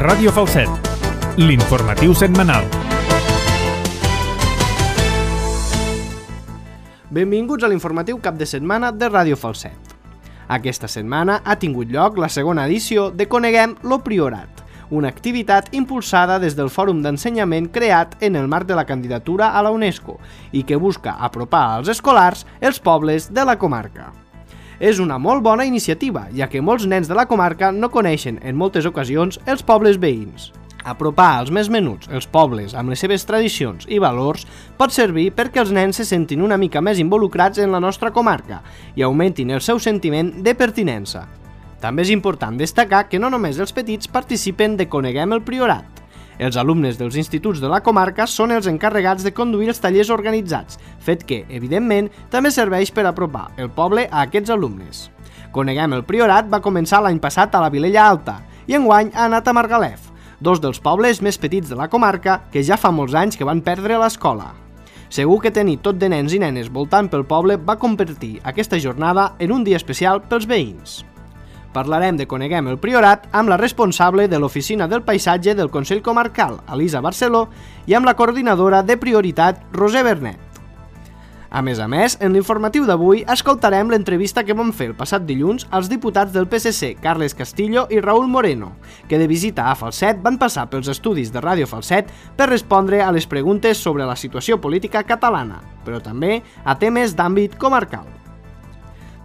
Ràdio Falset, l'informatiu setmanal. Benvinguts a l'informatiu cap de setmana de Ràdio Falset. Aquesta setmana ha tingut lloc la segona edició de Coneguem lo Priorat, una activitat impulsada des del Fòrum d'Ensenyament creat en el marc de la candidatura a la UNESCO i que busca apropar als escolars els pobles de la comarca. És una molt bona iniciativa, ja que molts nens de la comarca no coneixen en moltes ocasions els pobles veïns. Apropar als més menuts els pobles amb les seves tradicions i valors pot servir perquè els nens se sentin una mica més involucrats en la nostra comarca i augmentin el seu sentiment de pertinença. També és important destacar que no només els petits participen de Coneguem el Priorat. Els alumnes dels instituts de la comarca són els encarregats de conduir els tallers organitzats, fet que, evidentment, també serveix per apropar el poble a aquests alumnes. Coneguem el Priorat va començar l'any passat a la Vilella Alta i enguany ha anat a Margalef, dos dels pobles més petits de la comarca que ja fa molts anys que van perdre l'escola. Segur que tenir tot de nens i nenes voltant pel poble va convertir aquesta jornada en un dia especial pels veïns. Parlarem de Coneguem el Priorat amb la responsable de l'Oficina del Paisatge del Consell Comarcal, Elisa Barceló, i amb la coordinadora de Prioritat, Roser Bernet. A més, en l'informatiu d'avui escoltarem l'entrevista que vam fer el passat dilluns als diputats del PSC, Carles Castillo i Raúl Moreno, que de visita a Falset van passar pels estudis de Ràdio Falset per respondre a les preguntes sobre la situació política catalana, però també a temes d'àmbit comarcal.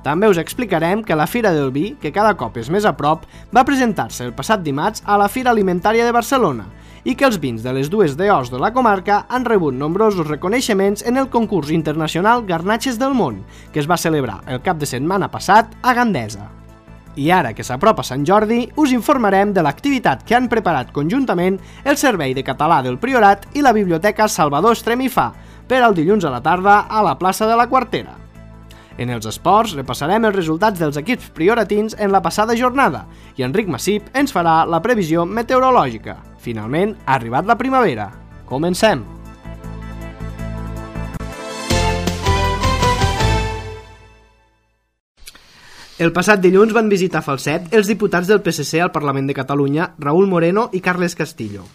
També us explicarem que la Fira del Vi, que cada cop és més a prop, va presentar-se el passat dimarts a la Fira Alimentària de Barcelona i que els vins de les dues DOs de la comarca han rebut nombrosos reconeixements en el concurs internacional Garnatxes del Món, que es va celebrar el cap de setmana passat a Gandesa. I ara que s'apropa Sant Jordi, us informarem de l'activitat que han preparat conjuntament el Servei de Català del Priorat i la Biblioteca Salvador Estremifà per al dilluns a la tarda a la plaça de la Quartera. En els esports repassarem els resultats dels equips prioratins en la passada jornada i Enric Massip ens farà la previsió meteorològica. Finalment, ha arribat la primavera. Comencem! El passat dilluns van visitar Falset els diputats del PSC al Parlament de Catalunya, Raúl Moreno i Carles Castillo.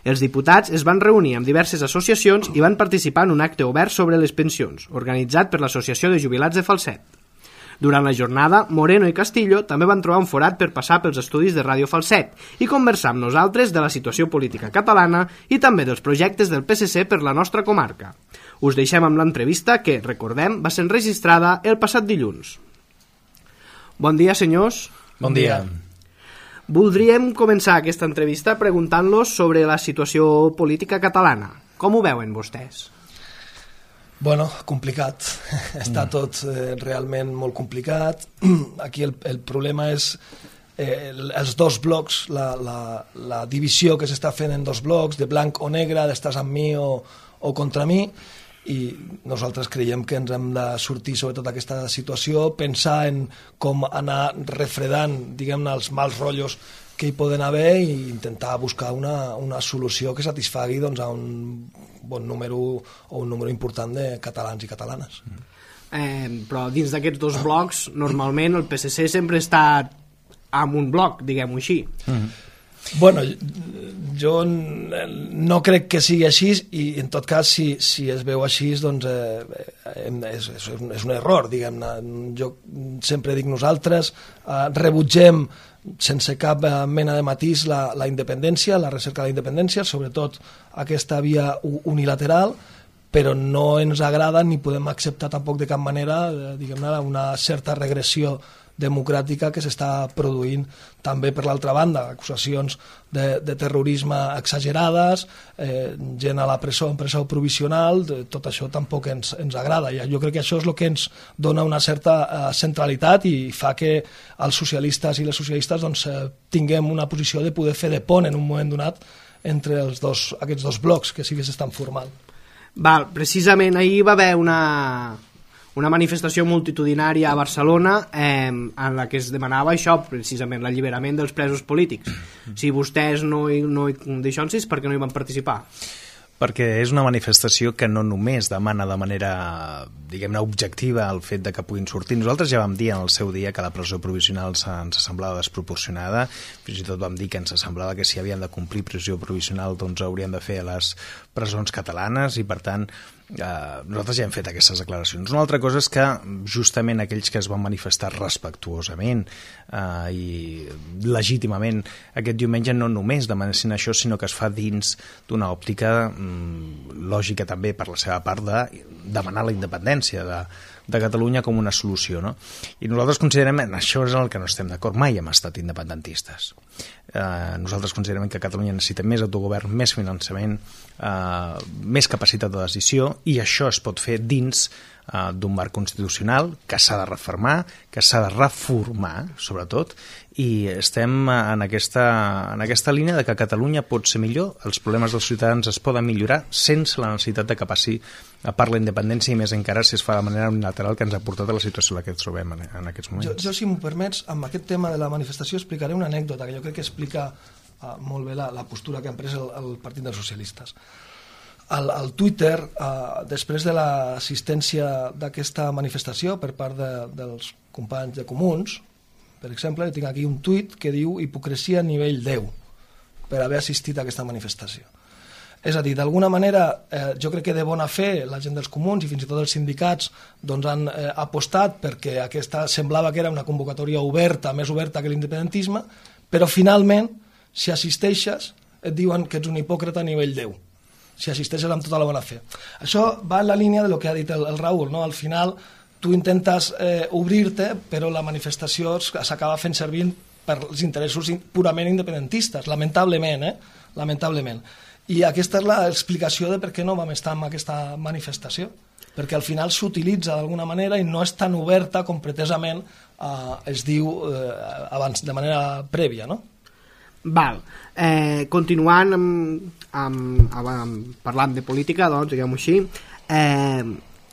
Els diputats es van reunir amb diverses associacions i van participar en un acte obert sobre les pensions, organitzat per l'Associació de Jubilats de Falset. Durant la jornada, Moreno i Castillo també van trobar un forat per passar pels estudis de Ràdio Falset i conversar amb nosaltres de la situació política catalana i també dels projectes del PSC per la nostra comarca. Us deixem amb l'entrevista que, recordem, va ser enregistrada el passat dilluns. Bon dia, senyors. Bon dia. Voldríem començar aquesta entrevista preguntant-los sobre la situació política catalana. Com ho veuen vostès? Bueno, complicat. Està tot realment molt complicat. Aquí el problema és els dos blocs, la divisió que s'està fent en dos blocs, de blanc o negre, d'estàs amb mi o contra mi, i nosaltres creiem que ens hem de sortir sobretot d'aquesta situació, pensar en com anar refredant, diguem-ne, els mals rotllos que hi poden haver i intentar buscar una solució que satisfagui doncs, a un bon número o un número important de catalans i catalanes. Però dins d'aquests dos blocs, normalment el PSC sempre està en un bloc, diguem-ho així. Bueno, jo no crec que sigui així i en tot cas si es veu així doncs és un error, diguem-ne. Jo sempre dic nosaltres rebutgem sense cap mena de matís la independència, la recerca de la independència, sobretot aquesta via unilateral, però no ens agrada ni podem acceptar tampoc de cap manera, diguem-ne, una certa regressió democràtica que s'està produint també per l'altra banda, acusacions de terrorisme exagerades, gent a la presó, en presó provisional, tot això tampoc ens agrada. Jo crec que això és el que ens dona una certa centralitat i fa que els socialistes i les socialistes doncs, tinguem una posició de poder fer de pont en un moment donat entre aquests dos blocs que sí que s'estan formant. Precisament ahir va haver una manifestació multitudinària a Barcelona en la que es demanava això, precisament l'alliberament dels presos polítics. Si vostès no hi deixen, per què no hi van participar? Perquè és una manifestació que no només demana de manera, diguem-ne, objectiva el fet de que puguin sortir. Nosaltres ja vam dir en el seu dia que la presó provisional ens semblava desproporcionada, fins i tot vam dir que ens semblava que si havien de complir presó provisional doncs haurien de fer a les presons catalanes i per tant nosaltres ja hem fet aquestes declaracions. Una altra cosa és que justament aquells que es van manifestar respectuosament i legítimament aquest diumenge no només demanessin això, sinó que es fa dins d'una òptica lògica també per la seva part de demanar la independència de Catalunya com una solució, no? I nosaltres considerem, això és el que no estem d'acord, mai hem estat independentistes. Nosaltres considerem que Catalunya necessita més autogovern, més finançament, més capacitat de decisió, i això es pot fer dins d'un marc constitucional que s'ha de refermar, que s'ha de reformar, sobretot, i estem en aquesta línia de que Catalunya pot ser millor, els problemes dels ciutadans es poden millorar sense la necessitat de que passi per la independència, i més encara si es fa de manera unilateral, que ens ha portat a la situació en la que ens trobem en aquests moments. Jo, si m'ho permets, amb aquest tema de la manifestació explicaré una anècdota que jo crec que explica molt bé la postura que han pres el Partit dels Socialistes. Al Twitter, després de l'assistència d'aquesta manifestació per part dels companys de Comuns, per exemple, tinc aquí un tuit que diu hipocresia a nivell 10 per haver assistit a aquesta manifestació. És a dir, d'alguna manera, jo crec que de bona fe la gent dels Comuns i fins i tot els sindicats doncs han apostat perquè aquesta semblava que era una convocatòria oberta, més oberta que l'independentisme, però finalment, si assisteixes, et diuen que ets un hipòcrita a nivell 10. Si assisteixes amb tota la bona fe. Això va en la línia de lo que ha dit el Raül, no? Al final tu intentes obrir-te, però la manifestació s'acaba fent servir per els interessos purament independentistes, lamentablement, lamentablement. I aquesta és l'explicació de per què no vam estar en aquesta manifestació, perquè al final s'utilitza d'alguna manera i no és tan oberta com pretesament es diu abans, de manera prèvia, no? Val. Continuant parlant de política, doncs, diguem-ho així,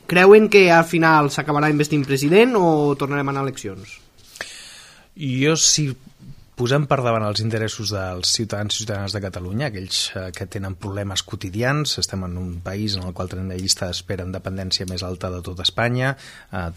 creuen que al final s'acabarà investint president o tornarem a anar a eleccions? Jo, si posem per davant els interessos dels ciutadans i ciutadanes de Catalunya, aquells que tenen problemes quotidians, estem en un país en el qual tenim una llista d'espera en dependència més alta de tot Espanya,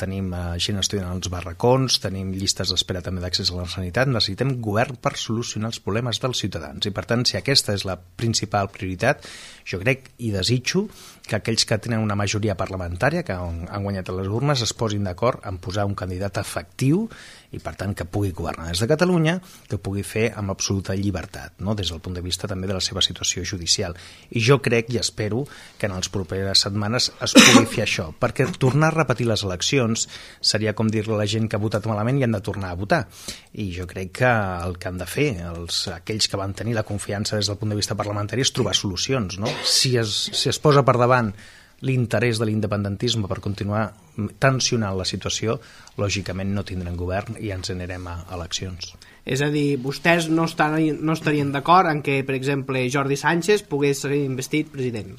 tenim gent estudiant als barracons, tenim llistes d'espera també d'accés a la sanitat, necessitem govern per solucionar els problemes dels ciutadans, i per tant, si aquesta és la principal prioritat, jo crec i desitjo que aquells que tenen una majoria parlamentària, que han guanyat a les urnes, es posin d'acord en posar un candidat efectiu i, per tant, que pugui governar des de Catalunya, que pugui fer amb absoluta llibertat, no? Des del punt de vista també de la seva situació judicial. I jo crec i espero que en les properes setmanes es pugui fer això, perquè tornar a repetir les eleccions seria com dir-li a la gent que ha votat malament i han de tornar a votar. I jo crec que el que han de fer aquells que van tenir la confiança des del punt de vista parlamentari és trobar solucions, no? Si es posa per davant l'interès de l'independentisme per continuar tensionant la situació, lògicament no tindrem govern i ens anirem a eleccions. És a dir, vostès no estarien d'acord en que, per exemple, Jordi Sánchez pogués ser investit president?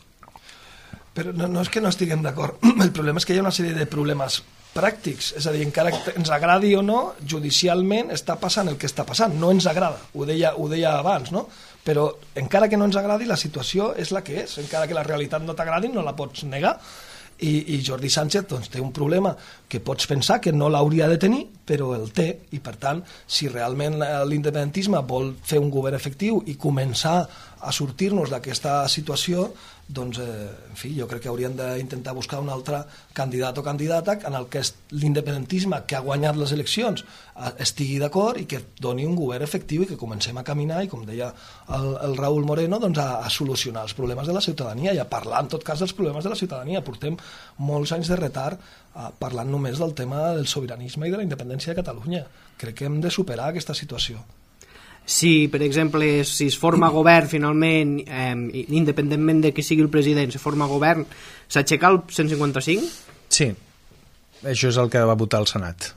Però no és que no estiguem d'acord. El problema és que hi ha una sèrie de problemes pràctics. És a dir, encara que ens agradi o no, judicialment està passant el que està passant. No ens agrada, ho deia abans, no? Però encara que no ens agradi, la situació és la que és. Encara que la realitat no t'agradi, no la pots negar. I Jordi Sánchez doncs, té un problema que pots pensar que no l'hauria de tenir, però el té, i per tant, si realment l'independentisme vol fer un govern efectiu i començar a sortir-nos d'aquesta situació, doncs, en fi, jo crec que haurien d'intentar buscar un altre candidat o candidata en el que l'independentisme que ha guanyat les eleccions estigui d'acord i que doni un govern efectiu i que comencem a caminar i, com deia el Raül Moreno, doncs a solucionar els problemes de la ciutadania i a parlar, en tot cas, dels problemes de la ciutadania. Portem molts anys de retard parlant només del tema del sobiranisme i de la independència de Catalunya. Crec que hem de superar aquesta situació. Si, per exemple, si es forma govern finalment, independentment de qui sigui el president, se forma govern, s'aixeca el 155? Sí, això és el que va votar el Senat.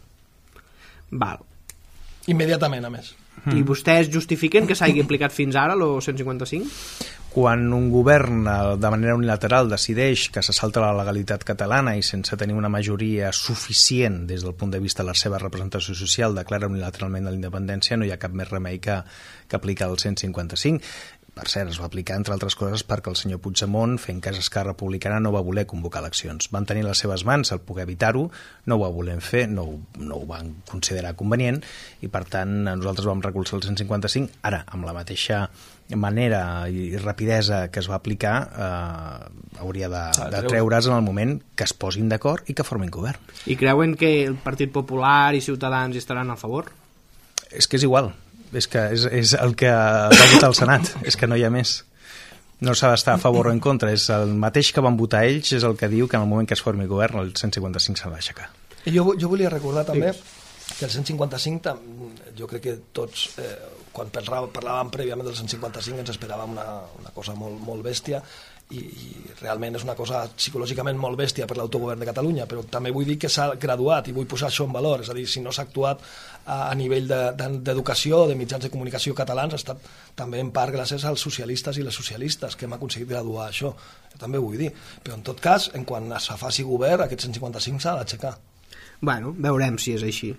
Val. Immediatament, a més. I vostès justifiquen que s'hagi aplicat fins ara el 155? Quan un govern de manera unilateral decideix que se salta la legalitat catalana i sense tenir una majoria suficient des del punt de vista de la seva representació social declara unilateralment la independència, no hi ha cap més remei que aplicar el 155. per cert, es va aplicar, entre altres coses, perquè el senyor Puigdemont, fent cas Esquerra Republicana, no va voler convocar eleccions. Van tenir les seves mans el poder evitar-ho, no ho va voler fer, no ho van considerar convenient, i per tant nosaltres vam recolzar el 155. Ara, amb la mateixa manera i rapidesa que es va aplicar, hauria de treure's en el moment que es posin d'acord i que formin govern. I creuen que el Partit Popular i Ciutadans hi estaran a favor? És que és igual. És que és el que va votar el Senat, és que no hi ha més. No s'ha d'estar a favor o en contra, és el mateix que van votar ells, és el que diu que en el moment que es formi govern el 155 s'ha d'aixecar. Jo volia recordar també que el 155, jo crec que tots, quan parlàvem prèviament del 155 ens esperàvem una cosa molt bèstia, i realment és una cosa psicològicament molt bèstia per l'autogovern de Catalunya, però també vull dir que s'ha graduat i vull posar això en valor, és a dir, si no s'ha actuat a nivell d'educació, de mitjans de comunicació catalans, ha estat també en part gràcies als socialistes i les socialistes que hem aconseguit graduar això, jo també ho vull dir, però en tot cas, en quan es faci govern, aquest 155 s'ha d'aixecar. Bueno, veurem si és així.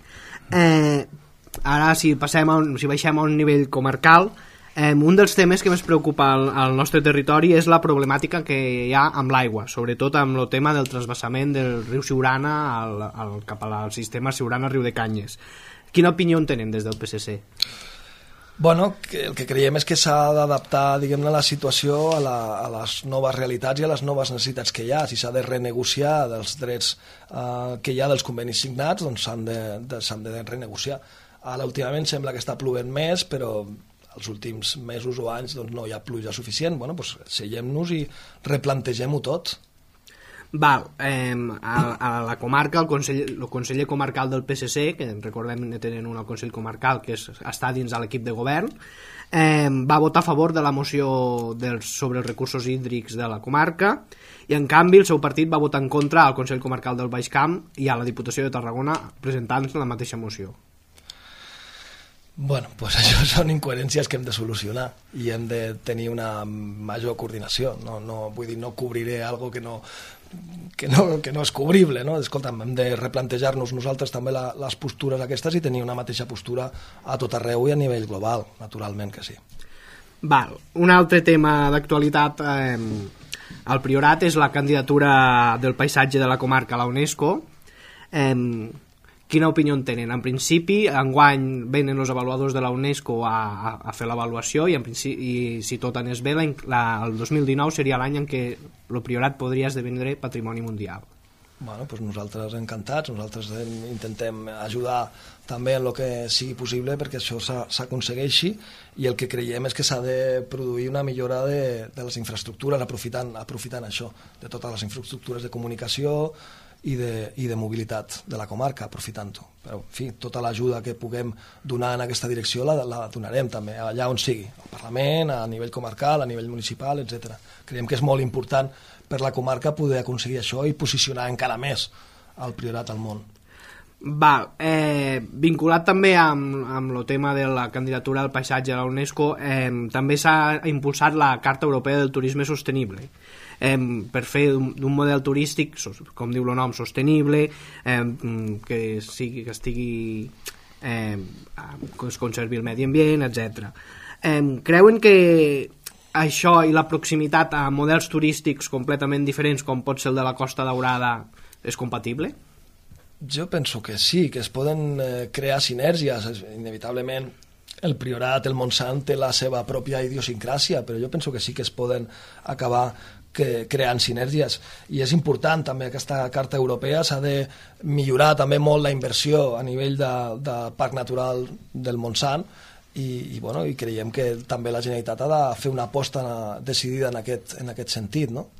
Ara, si baixem a un nivell comarcal, un dels temes que més preocupa al nostre territori és la problemàtica que hi ha amb l'aigua, sobretot amb el tema del transvasament del riu Siurana cap al sistema Siurana-Riu de Canyes. Quina opinió en tenen des del PSC? Bueno, el que creiem és que s'ha d'adaptar, diguem-ne, la situació a les noves realitats i a les noves necessitats que hi ha. Si s'ha de renegociar dels drets que hi ha dels convenis signats, doncs s'han de renegociar. Ara, últimament, sembla que està plovent més, però els últims mesos o anys doncs, no hi ha pluja suficient. Bueno, doncs seiem-nos i replantegem-ho tot. Val, a la comarca, el conseller comarcal del PSC, que recordem que tenen un consell comarcal que està dins de l'equip de govern, va votar a favor de la moció sobre els recursos hídrics de la comarca, i en canvi el seu partit va votar en contra al Consell Comarcal del Baix Camp i a la Diputació de Tarragona presentant la mateixa moció. Bueno, doncs això són incoherències que hem de solucionar i hem de tenir una major coordinació. No vull dir, no cobriré algo que no és cobrible, no? Escolta'm, hem de replantejar-nos nosaltres també les postures aquestes i tenir una mateixa postura a tot arreu i a nivell global, naturalment que sí. Val, un altre tema d'actualitat al Priorat és la candidatura del paisatge de la comarca a la UNESCO. Quina opinió en tenen? En principi, enguany venen els avaluadors de la UNESCO a fer l'avaluació i si tot anés bé, el 2019 seria l'any en què el Priorat podria esdevenir patrimoni mundial. Bueno, doncs nosaltres encantats, nosaltres intentem ajudar també en el que sigui possible perquè això s'aconsegueixi, i el que creiem és que s'ha de produir una millora de les infraestructures aprofitant això, de totes les infraestructures de comunicació i de mobilitat de la comarca, aprofitant-ho. Però, en fi, tota l'ajuda que puguem donar en aquesta direcció la donarem també, allà on sigui, al Parlament, a nivell comarcal, a nivell municipal, etc. Creiem que és molt important per la comarca poder aconseguir això i posicionar encara més el Priorat al món. Val, vinculat també amb el tema de la candidatura al paisatge a la UNESCO, també s'ha impulsat la Carta Europea del Turisme Sostenible, per fer d'un model turístic, com diu el nom, sostenible, que estigui que es conservi el medi ambient, etc. Creuen que això i la proximitat a models turístics completament diferents, com pot ser el de la Costa Daurada, és compatible? Jo penso que sí, que es poden crear sinergies. Inevitablement el Priorat, el Montsant té la seva pròpia idiosincràsia, però jo penso que sí que es poden acabar creant sinergies, i és important també aquesta Carta Europea. S'ha de millorar també molt la inversió a nivell de Parc Natural del Montsant, i creiem que també la Generalitat ha de fer una aposta decidida en aquest sentit, no?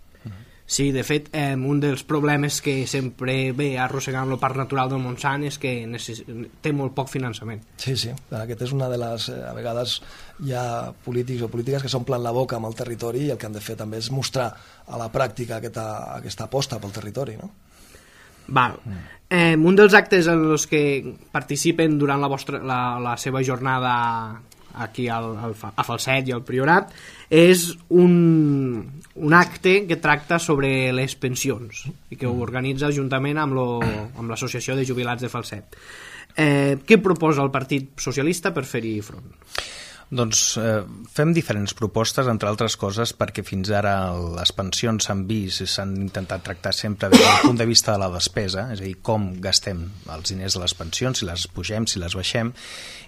Sí, de fet, un dels problemes que sempre ve arrossegant el Parc Natural del Montsant és que té molt poc finançament. Sí, aquest és una de les... a vegades hi ha polítics o polítiques que s'omplen la boca amb el territori, i el que han de fer també és mostrar a la pràctica aquesta aposta pel territori, no? Val. Un dels actes en els que participen durant la seva jornada aquí a Falset i al Priorat és un acte que tracta sobre les pensions i que ho organitza juntament amb l'Associació de Jubilats de Falset. Què proposa el Partit Socialista per fer-hi front? Doncs fem diferents propostes, entre altres coses, perquè fins ara les pensions s'han vist i s'han intentat tractar sempre des del punt de vista de la despesa, és a dir, com gastem els diners de les pensions, si les pugem, si les baixem,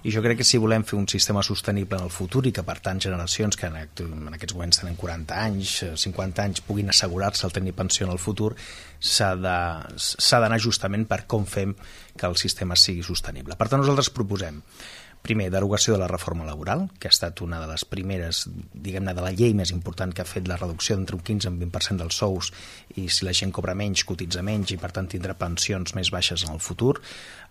i jo crec que si volem fer un sistema sostenible en el futur i que, per tant, generacions que en aquests moments tenen 40 anys, 50 anys, puguin assegurar-se el tenir pensió en el futur, s'ha d'anar justament per com fem que el sistema sigui sostenible. Per tant, nosaltres proposem primer, derogació de la reforma laboral, que ha estat una de les primeres, diguem-ne, de la llei més important que ha fet la reducció d'entre un 15 i un 20% dels sous, i si la gent cobra menys, cotitza menys i per tant tindrà pensions més baixes en el futur.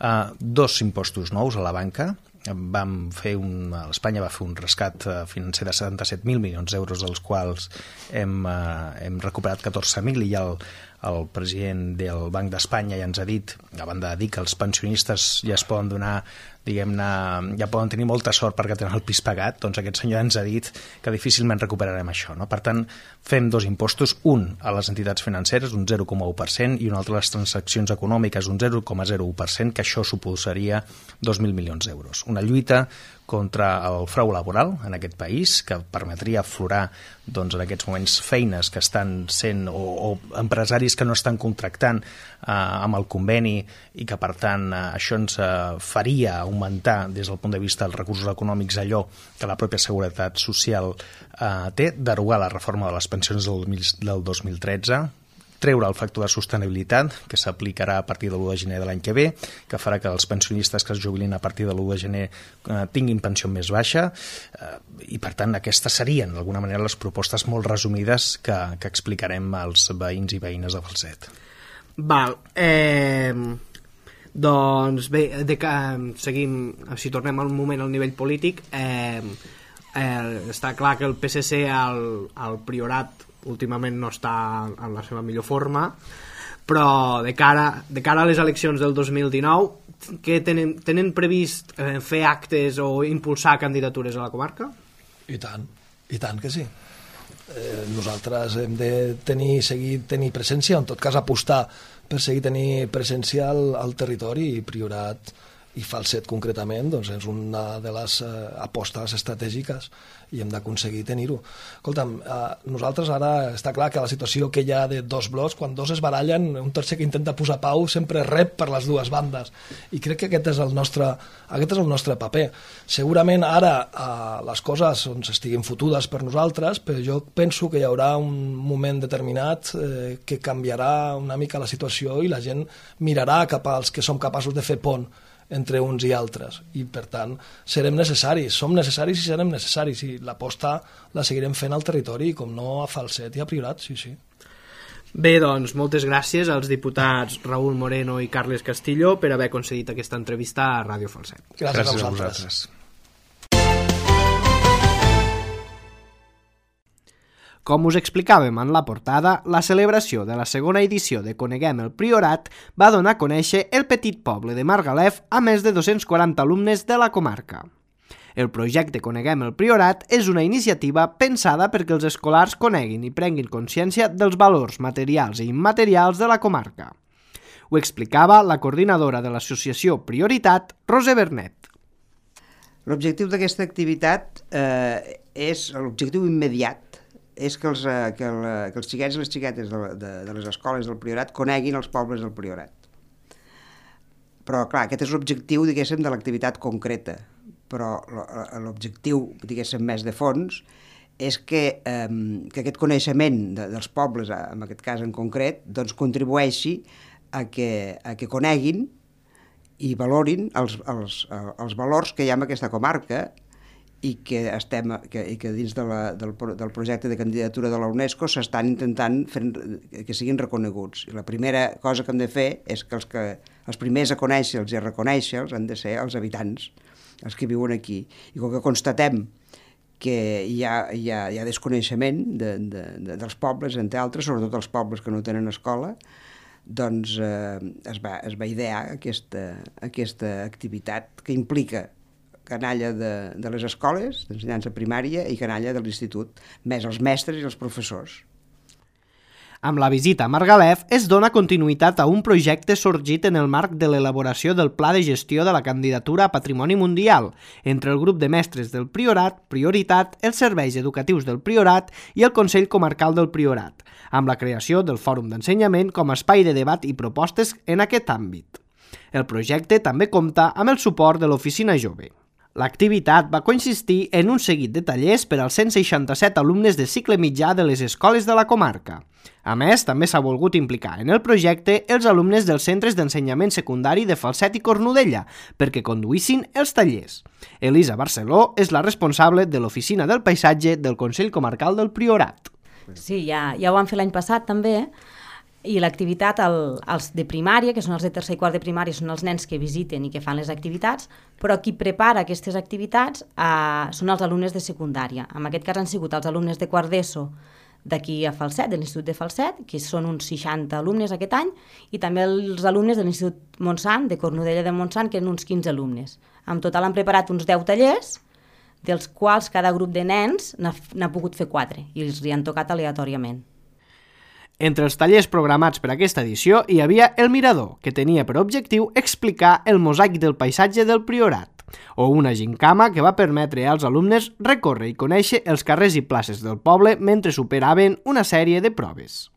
2 impostos nous a la banca. Espanya va fer un rescat financer de 77.000 milions d'euros, dels quals hem recuperat 14.000, i ja el president del Banc d'Espanya ja ens ha dit, a banda de dir que els pensionistes ja es poden donar, diguem-ne, ja poden tenir molta sort perquè tenen el pis pagat, doncs aquest senyor ens ha dit que difícilment recuperarem això, no? Per tant, fem 2 impostos, un a les entitats financeres, un 0,1%, i un altre a les transaccions econòmiques, un 0,01%, que això suposaria 2.000 milions d'euros. Una lluita contra el frau laboral en aquest país, que permetria aflorar doncs, en aquests moments feines que estan sent o empresaris que no estan contractant amb el conveni, i que per tant això ens faria augmentar des del punt de vista dels recursos econòmics allò que la pròpia Seguretat Social té, derogar la reforma de les pensions del 2013, treure el factor de sostenibilitat, que s'aplicarà a partir de l'1 de gener de l'any que ve, que farà que els pensionistes que es jubilin a partir de l'1 de gener tinguin pensió més baixa, i per tant aquestes serien d'alguna manera les propostes molt resumides que explicarem als veïns i veïnes de Falset. Val, doncs bé, seguim, si tornem al moment al nivell polític, està clar que el PSC al Priorat últimament no està en la seva millor forma, però de cara a les eleccions del 2019, que tenen previst fer actes o impulsar candidatures a la comarca? I tant que sí. Nosaltres hem de seguir tenir presència, en tot cas apostar per seguir tenir presència al territori, i Priorat i Falset concretament doncs és una de les apostes estratègiques i hem d'aconseguir tenir-ho. Escolta'm, nosaltres ara està clar que la situació que hi ha de 2 blocs, quan 2 es barallen, un tercer que intenta posar pau sempre rep per les 2 bandes, i crec que aquest és el nostre paper. Segurament ara les coses estiguin fotudes per nosaltres, però jo penso que hi haurà un moment determinat que canviarà una mica la situació i la gent mirarà cap als que som capaços de fer pont entre uns i altres, i per tant som necessaris i serem necessaris, i l'aposta la seguirem fent al territori, com no a Falset i a Priorat, sí. Bé, doncs moltes gràcies als diputats Raúl Moreno i Carles Castillo per haver concedit aquesta entrevista a Ràdio Falset. Gràcies a vosaltres. Com us explicàvem en la portada, la celebració de la segona edició de Coneguem el Priorat va donar a conèixer el petit poble de Margalef a més de 240 alumnes de la comarca. El projecte Coneguem el Priorat és una iniciativa pensada perquè els escolars coneguin i prenguin consciència dels valors materials i immaterials de la comarca. Ho explicava la coordinadora de l'associació Prioritat, Roser Bernet. L'objectiu d'aquesta activitat és l'objectiu immediat, és que els xiquets i les xiquetes de les escoles del Priorat coneguin els pobles del Priorat. Però, clar, aquest és l'objectiu, diguéssim, de l'activitat concreta. Però l'objectiu, diguéssim, més de fons, és que aquest coneixement dels pobles, en aquest cas en concret, doncs contribueixi a que coneguin i valorin els valors que hi ha en aquesta comarca, i que dins del projecte de candidatura de la UNESCO s'estan intentant que siguin reconeguts. I la primera cosa que hem de fer és que els primers a conèixer-los i a reconèixer-los han de ser els habitants, els que viuen aquí. I com que constatem que hi ha desconeixement dels pobles, entre altres, sobretot els pobles que no tenen escola, doncs es va idear aquesta activitat que implica canalla de les escoles, d'ensenyança primària, i canalla de l'institut, més els mestres i els professors. Amb la visita a Margalef es dona continuïtat a un projecte sorgit en el marc de l'elaboració del Pla de Gestió de la Candidatura a Patrimoni Mundial entre el grup de mestres del Priorat, Prioritat, els serveis educatius del Priorat i el Consell Comarcal del Priorat, amb la creació del Fòrum d'Ensenyament com a espai de debat i propostes en aquest àmbit. El projecte també compta amb el suport de l'Oficina Jove. L'activitat va consistir en un seguit de tallers per als 167 alumnes de cicle mitjà de les escoles de la comarca. A més, també s'ha volgut implicar en el projecte els alumnes dels centres d'ensenyament secundari de Falset i Cornudella perquè conduïssin els tallers. Elisa Barceló és la responsable de l'Oficina del Paisatge del Consell Comarcal del Priorat. Sí, ja ho vam fer l'any passat també, i l'activitat, els de primària, que són els de tercer i quart de primària, són els nens que visiten i que fan les activitats, però qui prepara aquestes activitats són els alumnes de secundària. En aquest cas han sigut els alumnes de quart d'ESO d'aquí a Falset, de l'Institut de Falset, que són uns 60 alumnes aquest any, i també els alumnes de l'Institut Montsant, de Cornudella de Montsant, que eren uns 15 alumnes. En total han preparat uns 10 tallers, dels quals cada grup de nens n'ha pogut fer 4, i els hi han tocat aleatòriament. Entre els tallers programats per aquesta edició hi havia El Mirador, que tenia per objectiu explicar el mosaic del paisatge del Priorat, o una gincama que va permetre als alumnes recórrer i conèixer els carrers i places del poble mentre superaven una sèrie de proves.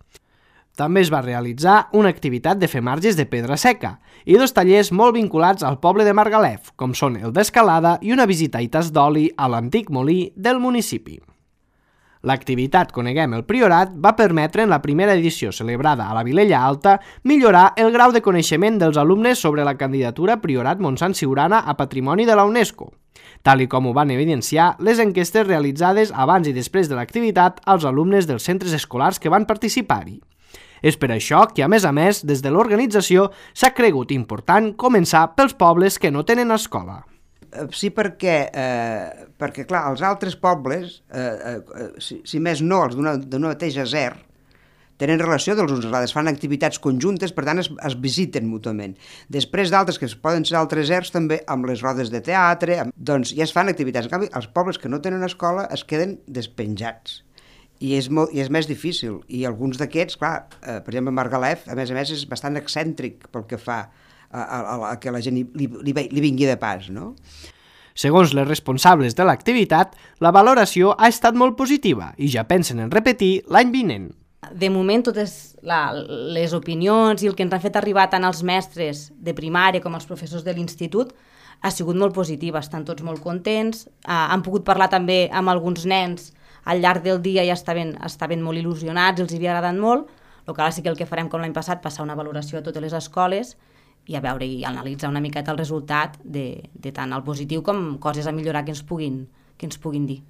També es va realitzar una activitat de fer marges de pedra seca i 2 tallers molt vinculats al poble de Margalef, com són el d'escalada i una visita a Itas d'oli a l'antic molí del municipi. L'activitat Coneguem el Priorat va permetre en la primera edició celebrada a la Vilella Alta millorar el grau de coneixement dels alumnes sobre la candidatura Priorat Montsant-Siurana a Patrimoni de la UNESCO, tal i com ho van evidenciar les enquestes realitzades abans i després de l'activitat als alumnes dels centres escolars que van participar-hi. És per això que, a més, des de l'organització s'ha cregut important començar pels pobles que no tenen escola. Sí, perquè clar, els altres pobles, si més no, els d'una mateixa SER, tenen relació dels uns altres, fan activitats conjuntes, per tant es visiten mútuament. Després d'altres, que poden ser altres SERs, també amb les rodes de teatre, doncs ja es fan activitats. En canvi, els pobles que no tenen escola es queden despenjats. I és més difícil. I alguns d'aquests, clar, per exemple, Margalef, a més, és bastant excèntric pel que fa a que la gent li vingui de pas, no? Segons les responsables de l'activitat, la valoració ha estat molt positiva i ja pensen en repetir l'any vinent. De moment, totes les opinions i el que ens han fet arribar tant els mestres de primària com els professors de l'institut ha sigut molt positiva, estan tots molt contents, han pogut parlar també amb alguns nens al llarg del dia i estaven molt il·lusionats, els havia agradat molt. El que ara sí que el que farem com l'any passat, passar una valoració a totes les escoles i a veure i analitzar una miqueta el resultat de tant el positiu com coses a millorar que ens puguin dir.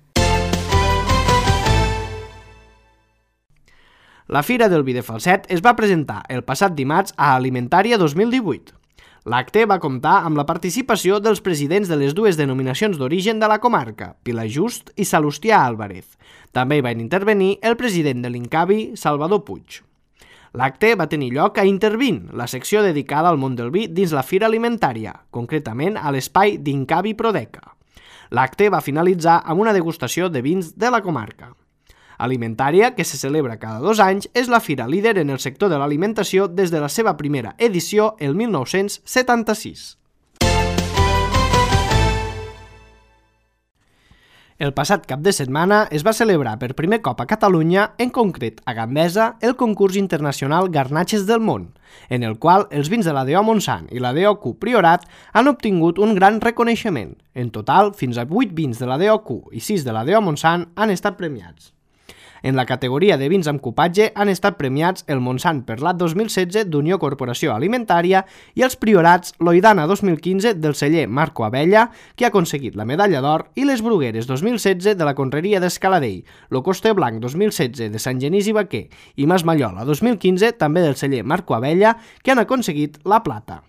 La Fira del Vi de Falset es va presentar el passat dimarts a Alimentària 2018. L'acte va comptar amb la participació dels presidents de les 2 denominacions d'origen de la comarca, Pilajust i Salustià Álvarez. També hi van intervenir el president de l'Incavi, Salvador Puig. L'acte va tenir lloc a Intervin, la secció dedicada al món del vi dins la Fira Alimentària, concretament a l'espai d'Incavi Prodeca. L'acte va finalitzar amb una degustació de vins de la comarca. Alimentària, que se celebra cada 2 anys, és la fira líder en el sector de l'alimentació des de la seva primera edició el 1976. El passat cap de setmana es va celebrar per primer cop a Catalunya, en concret a Gandesa, el concurs internacional Garnatxes del Món, en el qual els vins de la DO Montsant i la DOQ Priorat han obtingut un gran reconeixement. En total, fins a 8 vins de la DOQ i 6 de la DO Montsant han estat premiats. En la categoria de vins amb cupatge han estat premiats el Montsant Perlat 2016 d'Unió Corporació Alimentària i els Priorats Loidana 2015 del celler Marco Abella, que ha aconseguit la medalla d'or, i les Brugueres 2016 de la Conreria d'Escaladell, lo Coste Blanc 2016 de Sant Genís i Baquer i Mas Mallola 2015 també del celler Marco Abella, que han aconseguit la plata.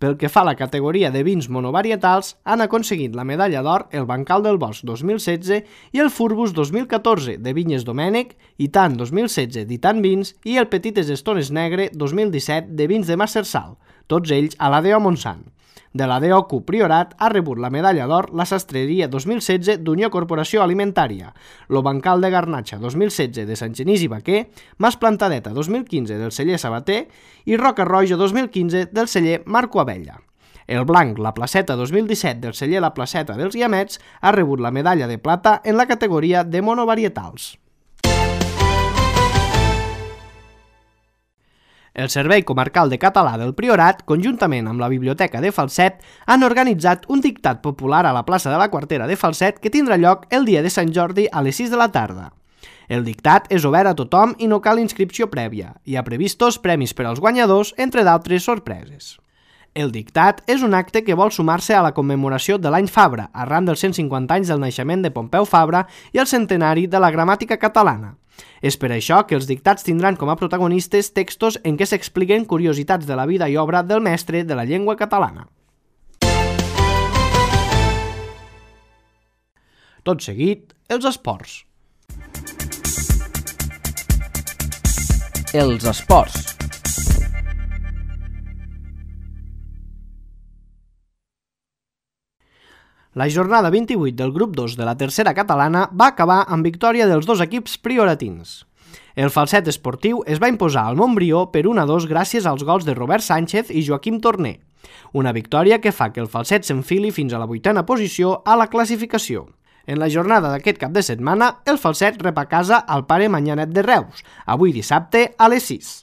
Pel que fa a la categoria de vins monovarietals, han aconseguit la medalla d'or el Bancal del Bosc 2016 i el Furbus 2014 de Vinyes Domènec, Itan 2016 d'Itan Vins i el Petites Estones Negre 2017 de Vins de Massersal, tots ells a la DO Montsant. De la DOQ Priorat ha rebut la medalla d'or la Sastreria 2016 d'Unió Corporació Alimentària, lo Bancal de Garnatxa 2016 de Sant Genís i Baquer, Mas Plantadeta 2015 del celler Sabater i Roca Roja 2015 del celler Marco Abella. El blanc, la placeta 2017 del celler La Placeta dels Guiamets, ha rebut la medalla de plata en la categoria de monovarietals. El Servei Comarcal de Català del Priorat, conjuntament amb la Biblioteca de Falset, han organitzat un dictat popular a la plaça de la Quartera de Falset que tindrà lloc el dia de Sant Jordi a les 6 de la tarda. El dictat és obert a tothom i no cal inscripció prèvia. Hi ha previstos premis per als guanyadors, entre d'altres sorpreses. El dictat és un acte que vol sumar-se a la commemoració de l'any Fabra, arran dels 150 anys del naixement de Pompeu Fabra i el centenari de la gramàtica catalana. És per això que els dictats tindran com a protagonistes textos en què s'expliquen curiositats de la vida i obra del mestre de la llengua catalana. Tot seguit, els esports. Els esports. La jornada 28 del grup 2 de la tercera catalana va acabar amb victòria dels dos equips prioratins. El Falset Esportiu es va imposar al Montbrió per 1-2 gràcies als gols de Robert Sánchez i Joaquim Torner. Una victòria que fa que el Falset s'enfili fins a la 8a posició a la classificació. En la jornada d'aquest cap de setmana, el Falset rep a casa al Pare Manyanet de Reus, avui dissabte a les 6.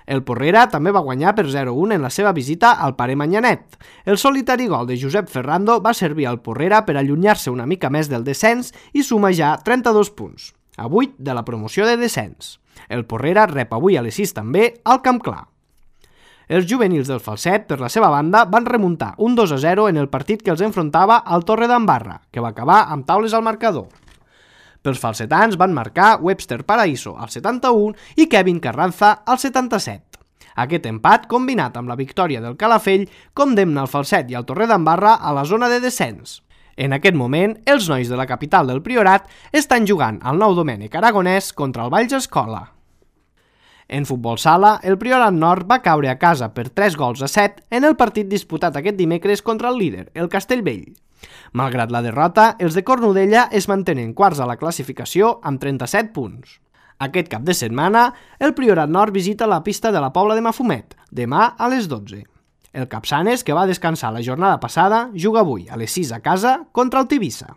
El Porrera també va guanyar per 0-1 en la seva visita al Pare Manyanet. El solitari gol de Josep Ferrando va servir al Porrera per allunyar-se una mica més del descens i suma ja 32 punts, a 8 de la promoció de descens. El Porrera rep avui a les 6 també al Camp Clar. Els juvenils del Falset, per la seva banda, van remuntar un 2-0 en el partit que els enfrontava al Torre d'Embarra, que va acabar amb taules al marcador. Pels falsetans van marcar Webster Paraíso al 71 i Kevin Carranza al 77. Aquest empat, combinat amb la victòria del Calafell, condemna el Falset i el Torre d'Embarra a la zona de descens. En aquest moment, els nois de la capital del Priorat estan jugant al Nou Domènec Aragonès contra el Valls Escola. En futbol sala, el Priorat Nord va caure a casa per 3-7 en el partit disputat aquest dimecres contra el líder, el Castellvell. Malgrat la derrota, els de Cornudella es mantenen quarts a la classificació amb 37 punts. Aquest cap de setmana, el Priorat Nord visita la pista de la Pobla de Mafumet, demà a les 12. El Capçanes, que va descansar la jornada passada, juga avui a les 6 a casa contra el Tivissa.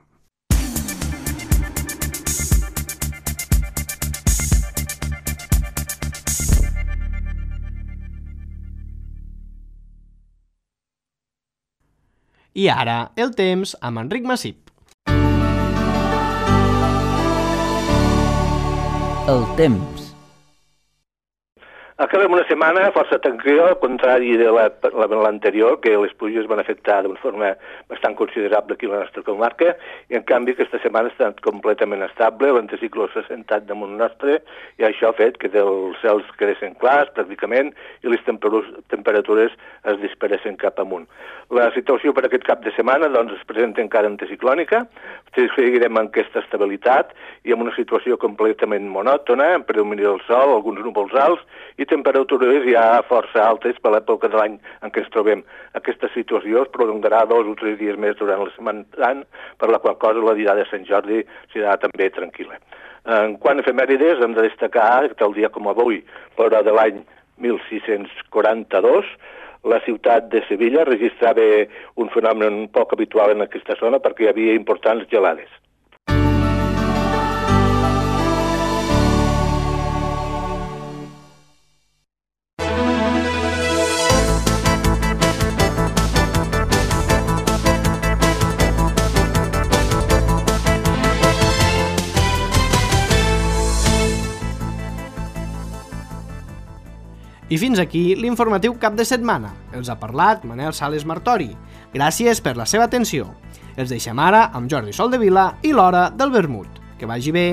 I ara, el temps amb Enric Massip. El temps. Acabem una setmana força tranquil·la, al contrari de l'anterior, que les pluges van afectar d'una forma bastant considerable aquí a la nostra comarca, i en canvi aquesta setmana ha estat completament estable, l'anticicló s'ha sentat damunt nostre, i això ha fet que els cels quedessin clars pràcticament i les temperatures es disparessin cap amunt. La situació per aquest cap de setmana doncs, es presenta encara anticiclònica, seguirem amb aquesta estabilitat i amb una situació completament monòtona, en predomini del sol, alguns núvols alts, i temperatures ja força altes per l'època de l'any en què ens trobem. Aquesta situació es prolongarà 2 o 3 dies més durant la setmana gran, per la qual cosa la diada de Sant Jordi serà també tranquil·la. En quant a efemèrides, hem de destacar que el dia com avui, però de l'any 1642, la ciutat de Sevilla registrava un fenomen poc habitual en aquesta zona perquè hi havia importants gelades. I fins aquí l'informatiu cap de setmana. Els ha parlat Manel Sales Martori. Gràcies per la seva atenció. Els deixem ara amb Jordi Soldevila i l'Hora del Vermut. Que vagi bé.